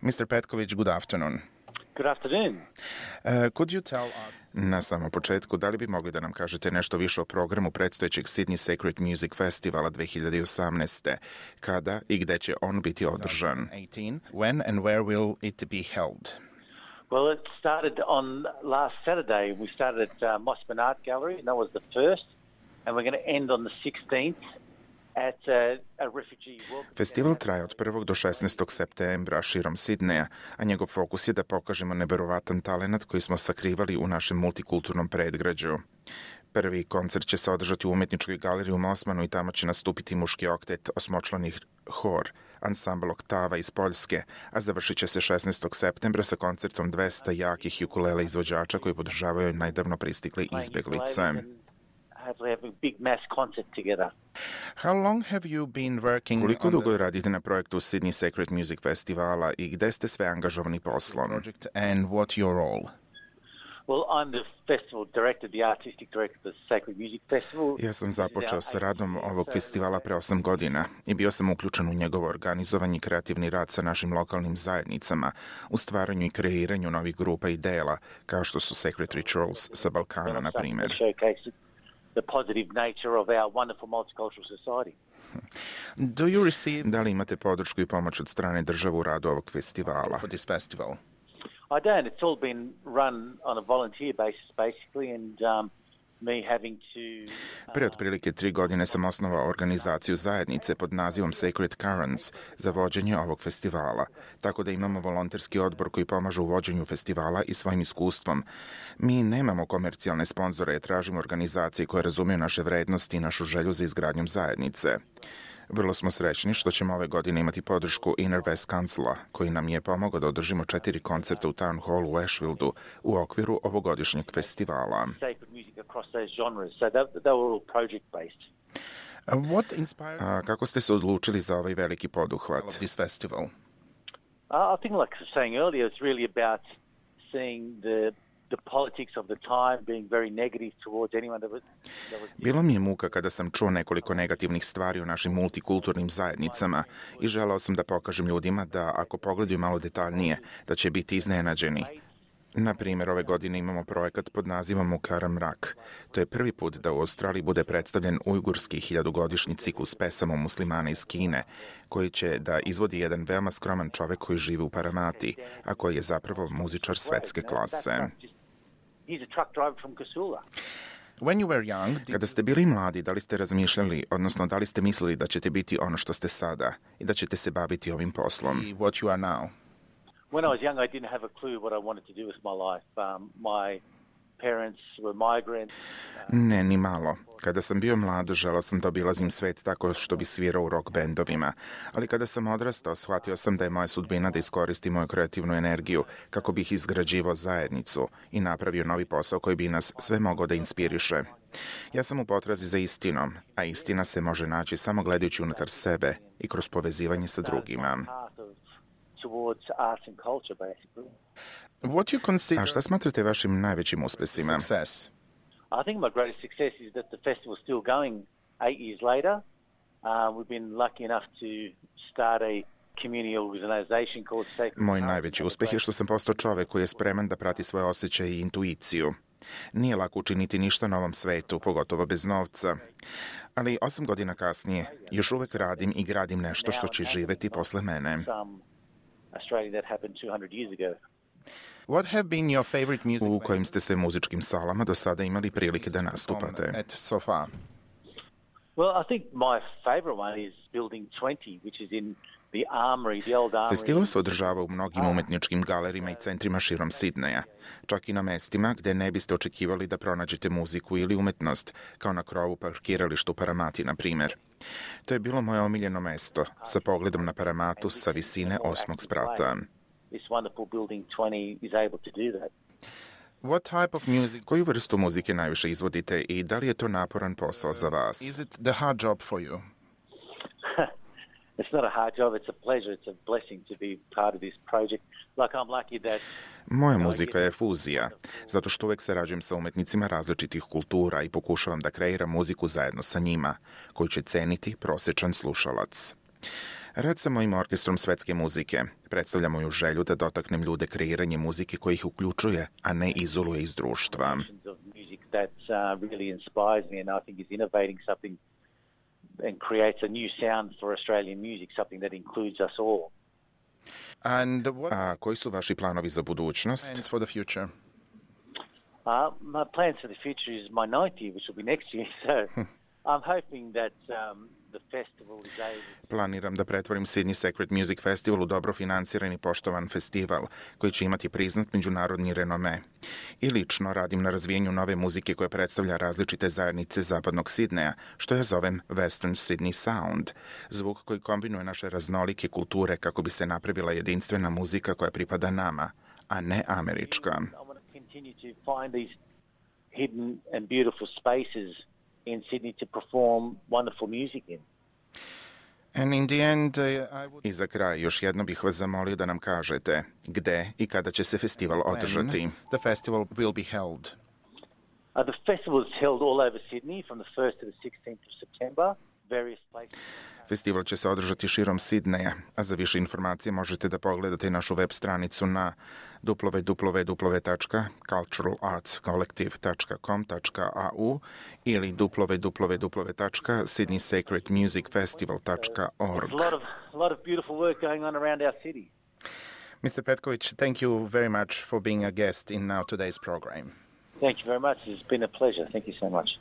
Mr. Petković, good afternoon. Good afternoon. Could you tell us... Na samom početku, da li bi mogli da nam kažete nešto više o programu predstojećeg Sydney Sacred Music Festivala 2018. Kada i gde će on biti održan? When and where will it be held? Well, it started on last Saturday. We started at Mossman Art Gallery, and that was the first. And we're going to end on the 16th at a refugee welcome. Festival traje od 1. do 16. septembra širom Sidneja, a njegov fokus je da pokažemo neverovatan talenat koji smo sakrivali u našem multikulturnom predgrađu. Prvi koncert će se održati u umetničkoj galeriji u Mossmanu i tamo će nastupiti muški oktet, osmočlani hor, ansambl Oktava iz Poljske, a završit će se 16. septembra sa koncertom 200 jakih ukulele izvođača koji podržavaju najdavno pristikle izbeglice. How long have you been working? Koliko dugo radite na projektu Sydney Sacred Music Festivala i gde ste sve angažovani poslom? And what your role? Well, I'm the festival director, the artistic director of the Sacred Music Festival. Ja sam započeo sa radom ovog festivala pre 8 godina i bio sam uključen u njegovo organizovanje i kreativni rad sa našim lokalnim zajednicama, u stvaranju i kreiranju novih grupa i dela, kao što su Sacred Rituals sa Balkana, na primjer. The positive nature of our wonderful multicultural society. Do you receive... Da li imate podršku i pomoć od strane države u radu ovog festivala? For this festival? I don't. It's all been run on a volunteer basis, basically, and me having to... Pre otprilike 3 godine sam osnovao organizaciju zajednice pod nazivom Sacred Currents za vođenje ovog festivala, tako da imamo volonterski odbor koji pomaže u vođenju festivala i svojim iskustvom. Mi nemamo komercijalne sponzore, tražimo organizacije koje razumiju naše vrednosti i našu želju za izgradnjom zajednice. Vrlo smo srećni što ćemo ove godine imati podršku Inner West Councila, koji nam je pomogao da održimo 4 koncerta u Town Hallu u Ashfieldu u okviru ovogodišnjeg festivala. Kako ste se odlučili za ovaj veliki poduhvat? I think, like I was saying earlier, it's really about seeing the politics of the time being very negative towards anyone that was... Bilo mi je muka kada sam čuo nekoliko negativnih stvari o našim multikulturnim zajednicama i želeo sam da pokažem ljudima da ako pogledaju malo detaljnije, da će biti iznenađeni. Na primjer, ove godine imamo projekat pod nazivom Mukara mrak. To je prvi put da u Australiji bude predstavljen ujgurski 1000-godišnji ciklus pesama muslimana iz Kine, koji će da izvodi jedan veoma skroman čovek koji živi u Paramati, a koji je zapravo muzičar svetske klase. Kada ste bili mladi, da li ste razmišljali, odnosno da li ste mislili da ćete biti ono što ste sada i da ćete se baviti ovim poslom? What you are now? When I was young, I didn't have a clue what I wanted to do with my life. My parents were migrants. Ne, ni malo. Kada sam bio mlad, želeo sam da obilazim svet tako što bi svirao u rock bendovima. Ali kada sam odrastao, shvatio sam da je moja sudbina da iskoristim moju kreativnu energiju kako bih izgrađivao zajednicu i napravio novi posao koji bi nas sve mogao da inspiriše. Ja sam u potrazi za istinom, a istina se može naći samo gledajući unutar sebe i kroz povezivanje sa drugima. Towards arts and culture, basically. A šta smatrate vašim najvećim uspesima? Success. I think my greatest success is that the festival is still going 8 years later. We've been lucky enough to start a community organization called Sacred. Moj najveći uspeh je što sam postao čovek koji je spreman da prati svoje osjećaje i intuiciju. Nije lako učiniti ništa na ovom svetu, pogotovo bez novca. Ali 8 godina kasnije još uvek radim i gradim nešto što će živeti posle mene. U kojim ste sve muzičkim salama do sada imali prilike da nastupate? Well, I think my favorite one is Building 20, which is in the Armory, the old Armory. Festival se održava u mnogim umetničkim galerijama i centrima širom Sidneja, čak i na mestima gde ne biste očekivali da pronađete muziku ili umetnost, kao na krovu parkiralištu Paramati, na primjer. To je bilo moje omiljeno mesto, sa pogledom na Paramatu sa visine 8. sprata. This wonderful Building 20 is able to do that. What type of music? Koju vrstu muzike najviše izvodite i da li je to naporan posao za vas? Is it the hard job for you? It's not a hard job, it's a pleasure, it's a blessing to be part of this project. Like I'm lucky that... Moja muzika je fuzija, zato što uvek sarađujem sa umetnicima različitih kultura i pokušavam da kreiram muziku zajedno sa njima, koju će ceniti prosječan slušalac. Rad sa mojim orkestrom svetske muzike predstavlja moju želju da dotaknem ljude kreiranje muzike koja ih uključuje, a ne izoluje iz društva. That really inspires me and I think is innovating something and creates a new sound for Australian music, something that includes us all. A koji su vaši planovi za budućnost? Plans for the future. My plans for the future is my 90th, which will be next year. So I'm hoping that the festival is able... Planiram da pretvorim Sydney Sacred Music Festival u dobro financiran i poštovan festival koji će imati priznat međunarodni renome. I lično radim na razvijenju nove muzike koja predstavlja različite zajednice zapadnog Sidneja, što ja zovem Western Sydney Sound. Zvuk koji kombinuje naše raznolike kulture kako bi se napravila jedinstvena muzika koja pripada nama, a ne američka. Continue to find these hidden and beautiful spaces in Sydney to perform wonderful music in. And in the end, I za kraj još jedno bih vas zamolio da nam kažete gde i kada će se festival održati. The festival will be held. The festival is held all over Sydney from the 1st to the 16th of September. Various places. Festival će se održati širom Sidneja, a za više informacije možete da pogledate našu web stranicu na www.culturalartscollective.com.au ili www.sydneysacredmusicfestival.org. There's a lot of beautiful work going on around our city. Mr. Petkovic, thank you very much for being a guest in today's program. Thank you very much. It's been a pleasure. Thank you so much.